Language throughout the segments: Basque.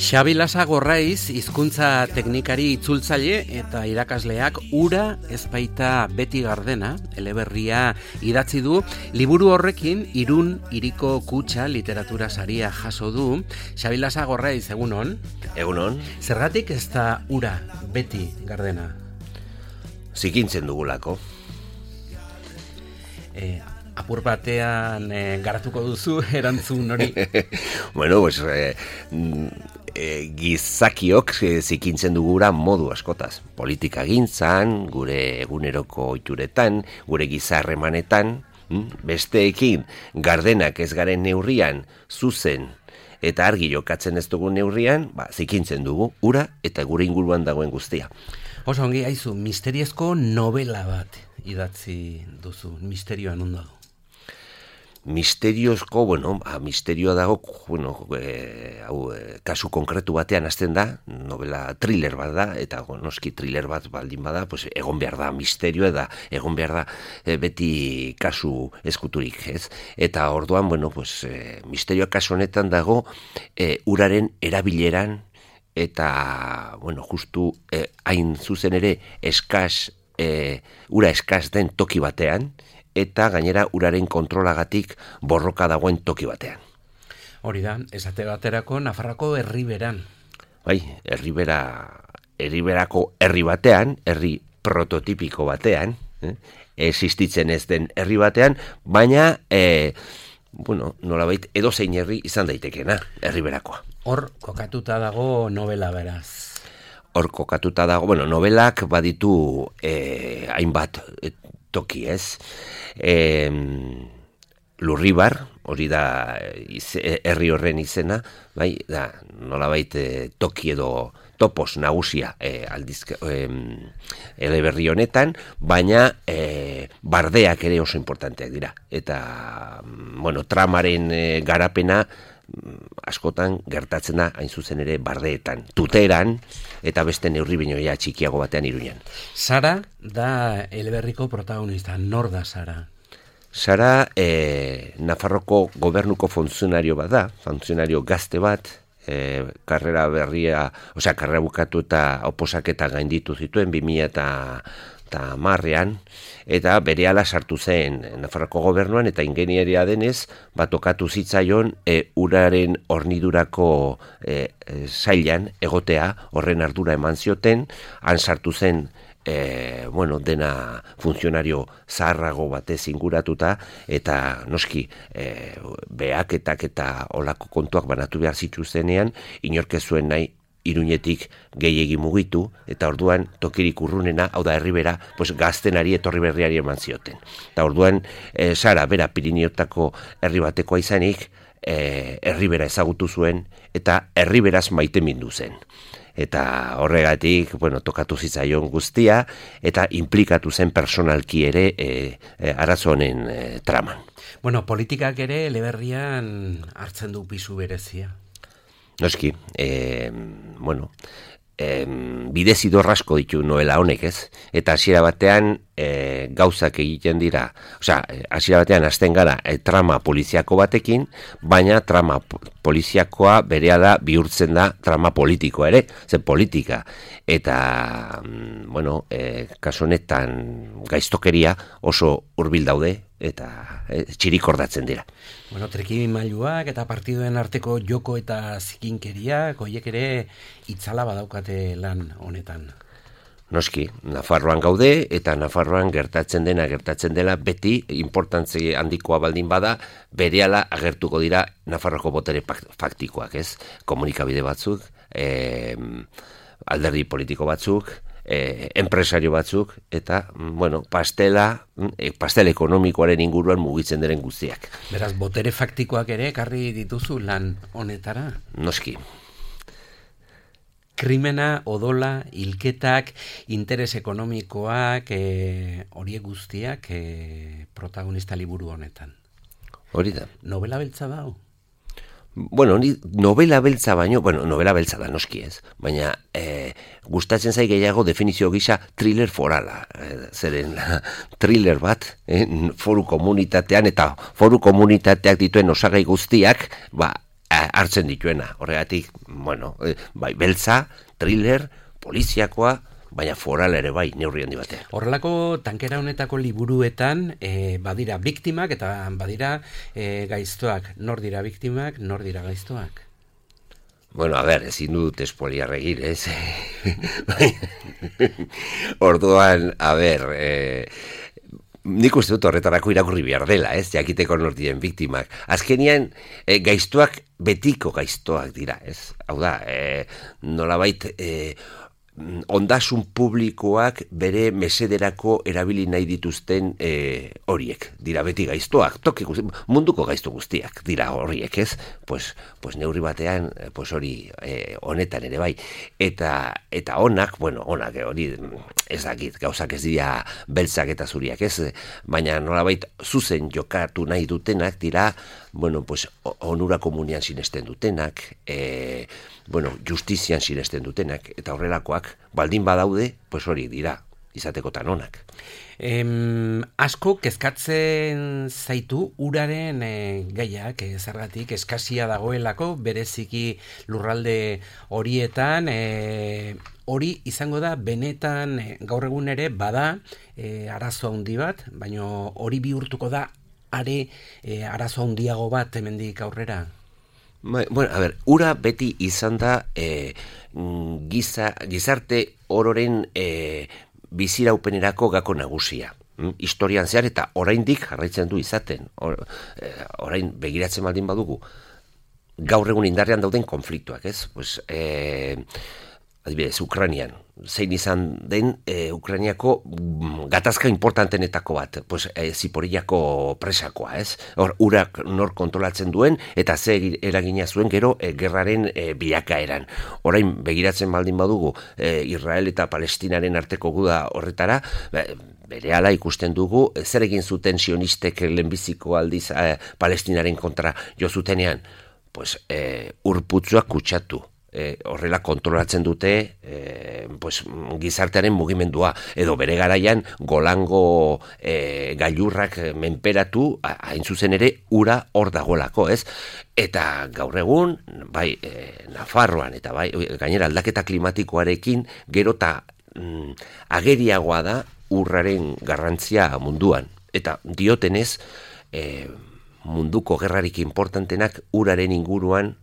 Xabi Lasa Gorraiz hizkuntza teknikari itzultzaile eta irakasleak ura ezpaita beti gardena eleberria idatzi du. Liburu horrekin Irun hiriko kutxa literatura saria jaso du. Xabi Lasa Gorraiz, egunon. Egunon. Zergatik ez da ura beti gardena? Zikintzen dugulako. Apur batean garatuko duzu erantzun hori. Bueno, pues gizakiok zikintzen dugura modu askotaz. Politika gintzan, gure eguneroko ohituretan, gure gizarremanetan, besteekin gardenak ez garen neurrian zuzen eta argi jokatzen ez dugun neurrian, zikintzen dugu ura eta gure inguruan dagoen guztia. Oso ongi, haizu, misteriozko novela bat idatzi duzu, misterioa non dago? Misteriozko, misterioa dago, kasu konkretu batean hasten da, novela thriller bat da, eta noski thriller bat baldin bada, pues, egon behar da misterioa da, egon behar da beti kasu eskuturik, ez? Eta orduan, misterioa kasu honetan dago, uraren erabileran, eta, justu hain zuzen ere ura eskas den toki batean, eta gainera uraren kontrolagatik borroka dagoen toki batean. Hori da, esate baterako Nafarroako herriberan. Bai, herriberako herri batean, herri prototipiko batean, existitzen ez den herri batean, baina, nolabait edozein herri izan daitekena, herriberakoa. Hor kokatuta dago novela beraz. Hor kokatuta dago, novelak baditu hainbat toki, ez? Lurribar, hori da herri horren izena, bai, da nolabait toki edo topos nagusia eleberri honetan, baina bardeak ere oso importanteak dira. Eta, tramaren garapena askotan gertatzen da hain zuzen ere bardeetan, tuteran, eta beste neurri binoia txikiago batean Iruñan. Sara da eleberriko protagonista. Nor da Sara? Sara Nafarroko gobernuko funtzionario bat da, funtzionario gazte bat, karrera bukatu eta oposaketa gainditu zituen 2010ean, eta berehala sartu zen Nafarroko gobernuan, eta ingenieria denez, tokatu zitzaion uraren hornidurako sailan egotea, horren ardura eman zioten, han sartu zen dena funtzionario zaharrago batez inguratuta, eta noski behaketak eta olako kontuak banatu behar zituztenean, inork ez zuen nahi Iruñetik gehiegi mugitu, eta orduan tokirik urrunena, hau da herribera, gaztenari etorri berriari eman zioten. Eta orduan Sara bera Pirineotako herri batekoa izanik, herribera ezagutu zuen, eta herriberaz maite mindu zen. Eta horregatik, tokatu zitzaion guztia, eta implikatu zen personalki ere arazo honen traman. Politikak ere eleberrian hartzen du pisu berezia. Noski, bidezidor asko ditu novela honek, ez? Eta hasiera batean gauzak egiten dira, hasiera batean hasten gara trama poliziako batekin, baina trama poliziakoa berehala bihurtzen da trama politikoa ere, zen politika. Eta, kasu honetan gaiztokeria oso hurbil daude, eta txirikordatzen dira. Trikimailuak eta partiduen arteko joko eta zikinkeriak, horiek ere itzala badaukate lan honetan. Noski, Nafarroan gaude, eta Nafarroan gertatzen dela beti importantzi handikoa baldin bada, berehala agertuko dira Nafarroko botere faktikoak, ez? Komunikabide batzuk, alderdi politiko batzuk, enpresario batzuk, eta, pastel ekonomikoaren inguruan mugitzen diren guztiak. Beraz, botere faktikoak ere ekarri dituzu lan honetara? Noski. Krimena, odola, hilketak, interes ekonomikoak, horiek guztiak protagonista liburu honetan. Hori da. Novela beltza da, Novela beltza baino, novela beltza da noski ez, baina gustatzen zai gehiago definizio gisa thriller forala, zeren thriller bat, foru komunitatean, eta foru komunitateak dituen osagai guztiak, hartzen dituena. Horregatik, bueno, bai, beltza, thriller, poliziakoa, baina foral ere bai, neurri handi batean. Horrelako tankera honetako liburuetan badira biktimak eta badira gaiztoak. Nor dira biktimak, nor dira gaiztoak? Bueno, a ber, ezin dut espoliar egin, ez? Orduan, a ber, nik uste dut horretarako irakurri behar dela, ez? Jakiteko nor diren biktimak. Azkenian, gaiztoak betiko gaiztoak dira, ez? Hau da, nolabait, ondasun publikoak bere mesederako erabili nahi dituzten horiek, dira beti gaiztoak, munduko gaizto guztiak dira horiek, ez? Pues neurri batean, pues hori honetan ere bai, eta onak, bueno, onak hori ez dakit, gauzak ez dira beltzak eta zuriak, ez? Baina nolabait zuzen jokatu nahi dutenak dira, bueno, pues onura komunian sinesten dutenak, bueno, justizian sinesten dutenak, eta horrelakoak, baldin badaude, pues hori dira, izatekotan onak. Asko kezkatzen zaitu uraren gaiak, zergatik eskasia dagoelako, bereziki lurralde horietan, hori izango da benetan gaur egun ere bada arazo handi bat, baina hori bihurtuko da arazo handiago bat hemendik aurrera. Bueno, a ber, ura beti izan da gizarte ororen biziraupenerako gako nagusia. Historian zehar eta oraindik jarraitzen du izaten. Orain begiratzen baldin badugu gaur egun indarrean dauden konfliktuak, ez? Pues, adibidez, Ukrainian, zein izan den Ukrainiako gatazka importantenetako bat, pues, Ziporillako presakoa, ez? Hor, urak nor kontrolatzen duen, eta ze eragina zuen gero gerraren bilakaeran. Orain, begiratzen baldin badugu, Israel eta Palestinaren arteko guda horretara, berehala ikusten dugu, zer egin zuten sionistek lehenbiziko aldiz Palestinaren kontra jo zutenean, pues, urputzuak kutsatu. Horrela kontrolatzen dute pues, gizartearen mugimendua, edo bere garaian Golango gailurrak menperatu, hain zuzen ere ura hor dagoelako, ez? Eta gaur egun, bai, Nafarroan, eta bai, gainera aldaketa klimatikoarekin, gero eta ageriagoa da urraren garrantzia munduan. Eta diotenez, munduko gerrarik importantenak uraren inguruan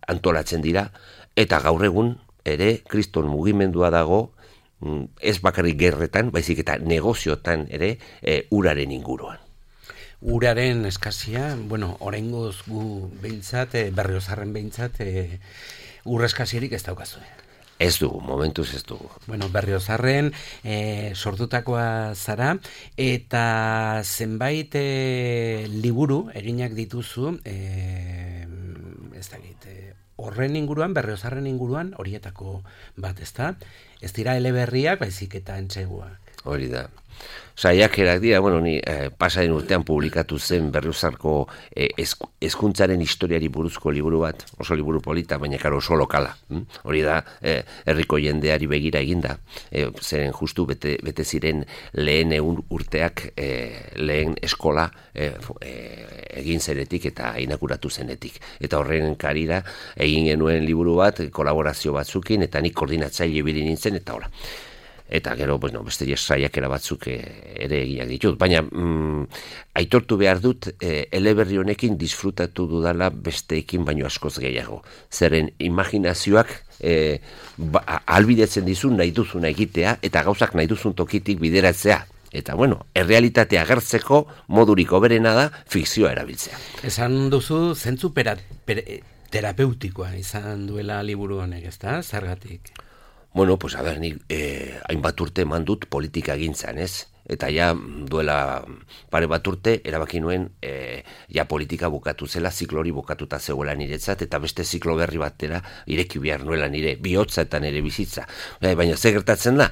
antolatzen dira, eta gaur egun ere kriston mugimendua dago, ez bakarrik gerretan, baizik eta negoziotan ere uraren inguruan. Uraren eskasia, bueno, oraingoz gu behintzat, Berriozarren behintzat, ur eskasirik ez daukazu. Ez dugu, momentuz ez dugu. Bueno, Berriozarren sortutakoa zara, eta zenbait liburu eginak dituzu, ez dakit, horren inguruan, Berriozarren inguruan, horietako bat, ezta? Ez dira eleberriak, baizik eta entseguak. Hori da. Saiakerak dira, bueno, ni pasaren urtean publikatu zen Berriozarko hezkuntzaren historiari buruzko liburu bat, oso liburu polita, baina karo oso lokala. Hori da, herriko jendeari begira eginda, zeren justu bete ziren lehen urteak, lehen eskola egin zenetik eta inauguratu zenetik. Eta horren karira egin genuen liburu bat, kolaborazio batzukin, eta nik koordinatzaile ibili nintzen, eta hola. Eta gero, bueno, beste saiakera batzuk ere egiak ditut. Baina aitortu behar dut, eleberri honekin disfrutatu dudala besteekin baino askoz gehiago. Zeren imaginazioak albidetzen dizu nahi duzuna egitea, eta gauzak nahi duzun tokitik bideratzea. Eta, bueno, errealitatea agertzeko modurik hoberena da fikzioa erabiltzea. Esan duzu, zentzu terapeutikoa izan duela liburu honek, ezta? Zergatik? Bueno, pues a ver, ni hainbat urte eman dut politika gintzan, ez? Eta ja duela pare bat urte erabaki nuen ja politika bukatu zela, ziklo hori bukatuta zegoela niretzat, eta beste ziklo berri batera ireki behar nuela nire bihotza eta nire bizitza. Baina ze gertatzen da,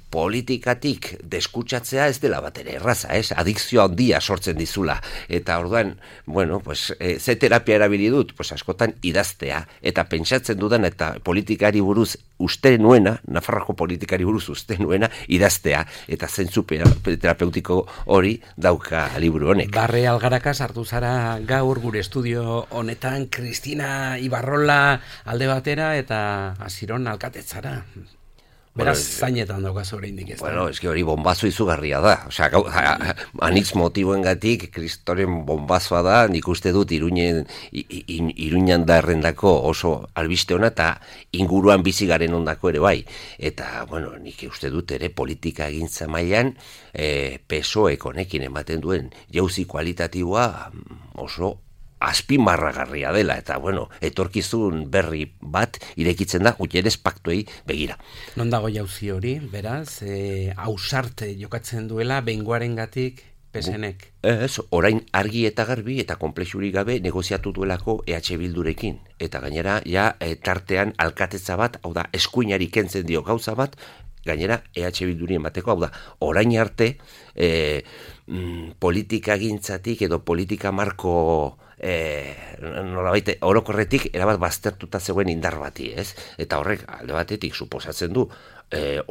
politikatik deskutsatzea ez dela bat ere erraza, ez? Adikzio handia sortzen dizula. Eta orduan, bueno, pues, ze terapia erabili dut? Pues askotan idaztea, eta pentsatzen dudan eta politikari buruz uste nuena, Nafarroako politikari buruz uste nuena, idaztea, eta zentzu terapeutiko hori dauka liburu honek. Barre Algaraka sartu zara gaur gure estudio honetan, Kristina Ibarrola alde batera, eta Asiron alkatetzara. Beraz, zainetan daukaz oraindik ez da. Bueno, eski hori bombazo izugarria da. Osea, anitz motiboengatik kristoren bombazoa da, nik uste dut Iruñan darrendako oso albiste ona eta inguruan bizi garen ondako ere bai. Eta, bueno, nik uste dut ere politika egintza mailan PSOEk honekin ematen duen jauzi kualitatiboa oso azpimarragarria dela, eta, bueno, etorkizun berri bat irekitzen da, gutierez paktuei begira. Non dago jauzi hori, beraz, ausarte jokatzen duela, behingoarengatik PSNek? Ez, orain argi eta garbi eta konplexurik gabe negoziatu duelako EH Bildurekin. Eta gainera, ja, tartean alkatetza bat, hau da, eskuinari kentzen dio gauza bat, gainera EH Bilduri emateko, hau da, orain arte politika gintzatik edo politika marko nolabait orokorretik erabat baztertuta zegoen indar bati, ez? Eta horrek alde batetik suposatzen du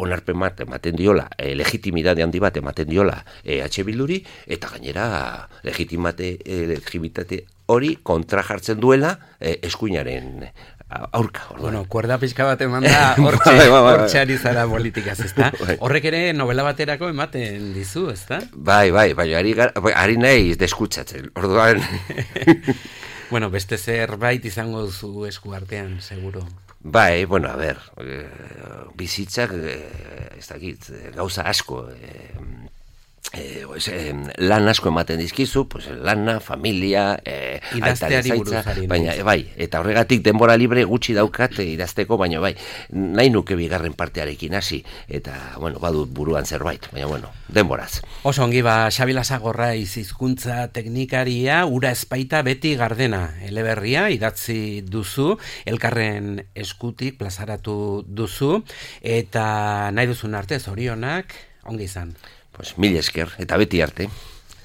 onarpen bat ematen diola, legitimidade handi bat ematen diola EH Bilduri, eta gainera legitimitate hori kontra jartzen duela eskuinaren aurka. Bueno, kuerda pixka bat eman da hortxe ari zara politikaz, ezta? Horrek ere novela baterako ematen dizu, ezta? Bai, ari nahi deskutsatzen, orduan. Bueno, beste zerbait izango duzu esku artean, seguro. Bai, bueno, a ver, bizitzak, ez dakit, gauza asko, lan asko ematen dizkizu, pues, lana, familia, idazteari buruzari. Baina, bai, eta horregatik denbora libre gutxi daukat idazteko, baina bai, nahi nuke bigarren partearekin hasi, eta, bueno, badut buruan zerbait, baina, bueno, denboraz. Oso ongi ba, Xabi Lasagorraiz hizkuntza teknikaria, ura ezpaita beti gardena, eleberria, idatzi duzu, elkarren eskutik plazaratu duzu, eta nahi duzun arte, zorionak, ongi izan. Pues mil esker, eta beti arte.